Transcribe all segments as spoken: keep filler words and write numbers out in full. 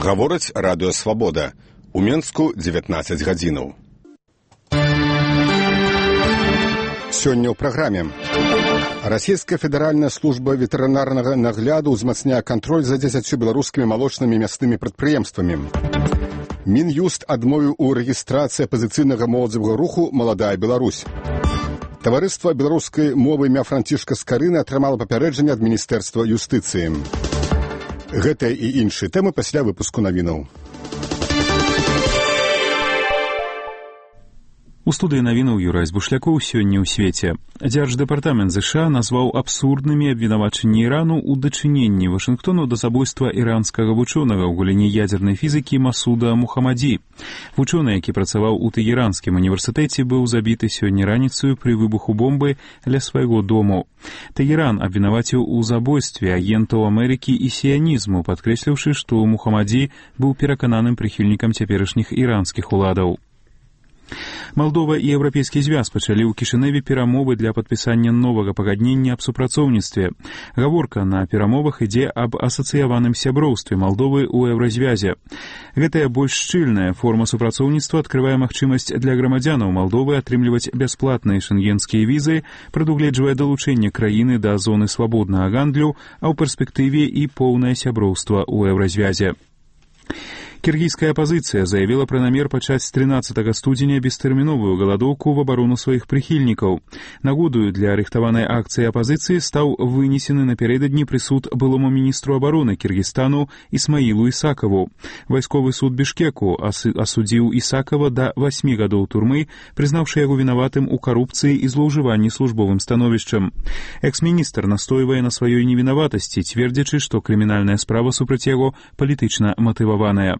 Гаворыць радыё «Свабода». У Менску дзевятнаццаць гадзінаў. Сёння ў праграме. Расійская федэральная служба ветэрынарнага нагляду ўзмацняе кантроль за дзесяццю беларускімі малочнымі мяснымі прадпрыемствамі. Мін'юст адмовіў у рэгістрацыі апазіцыйнага моладзевага руху «Маладая Беларусь». Таварыства беларускай мовы імя Францішка Скарыны атрымала папярэджанне ад Міністэрства юстыцыі. Гэтыя і іншыя тэмы пасля выпуску навінаў. У студыі навінаў Юрай Збушлякоў сёння ў свеце. Дзярждэпартамент ЗША назваў абсурднымі абвінавачанні Ірану ў дачыненні Вашынгтону да забойства іранскага вучонага ў галіне ядзернай фізікі Масуда Мухаммаді. Вучоны, які працаваў у Тэгеранскім універсітэце, быў забіты сёння раніцаю пры выбуху бомбы ля свайго дому. Тэгеран абвінаваціў у забойстве агентаў Амерыкі і сіянізму, падкрэсліўшы, што Мухаммаді быў перакананым прыхільнікам цяперашніх іранскіх уладаў. Малдова і Еўрапейскі звяз пачалі ў Кішыневе перамовы для падпісання новага пагаднення аб супрацоўніцтве. Гаворка на перамовах ідзе аб асацыяваным сяброўстве Малдовы ў Еўразвязе. Гэтая больш шчыльная форма супрацоўніцтва адкрывае магчымасць для грамадзянаў Малдовы атрымліваць бясплатныя шэнгенскія візы, прадугледжвае далучэнне краіны да зоны свабоднага гандлю, а ў перспектыве і поўнае сяброўства ў Еўразвязе. Кіргізская апазіцыя заявіла пра намер пачаць з трынаццатага студзеня бестэрміновую галадоўку в абарону сваіх прыхільнікаў. Нагодаю для арыхтаванай акцыі апазіцыі стаў вынесены напярэдадні прысуд былому міністру абароны Кіргізстану Ісмаілу Ісакаву. Вайсковы суд Бішкеку асудзіў Ісакава да васьмі гадоў турмы, прызнаўшы яго вінаватым у карупцыі і злоўжыванні службовым становішчам. Экс-міністр настойвае на сваёй невінаватасці, цвердзячы, што крымінальная справа супраць яго палітычна матываваная.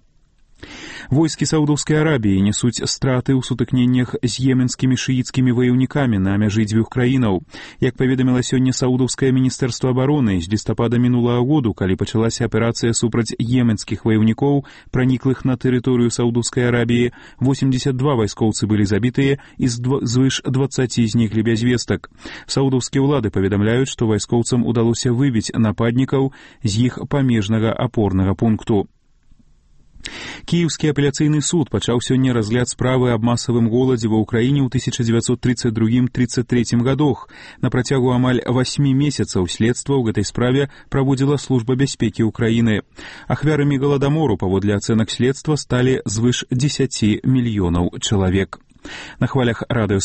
Войскі Саудаўскай Арабіі несуць страты ў сутыкненнях з йеменскімі шыіцкімі ваяўнікамі на мяжы дзвюх краінаў. Як паведаміла сёння Саудаўскае міністэрства абароны, з лістапада мінулага году, калі пачалася аперацыя супраць йеменскіх ваяўнікоў, праніклых на тэрыторыю Саудаўскай Арабіі, восемьдесят два вайскоўцы былі забітыя і звыш дваццаці зніклі без вестак. Саудаўскія ўлады паведамляюць, што вайскоўцам удалося выбіць нападнікаў з іх памежнага апорнага пункту. Кіеўскі апеляцыйны суд пачаў сёння разгляд справы аб масавым голадзе ва ўкраіне ў тысяча дзевяцьсот тридцать другім — тридцать третьем гадах. На працягу амаль васьмі месяцаў следства ў гэтай справе праводзіла служба бяспекі ўкраіны. Ахвярамі галадамору, паводле ацэнак следства, сталі звыш дзесяці мільёнаў чалавек. На хвалях радыё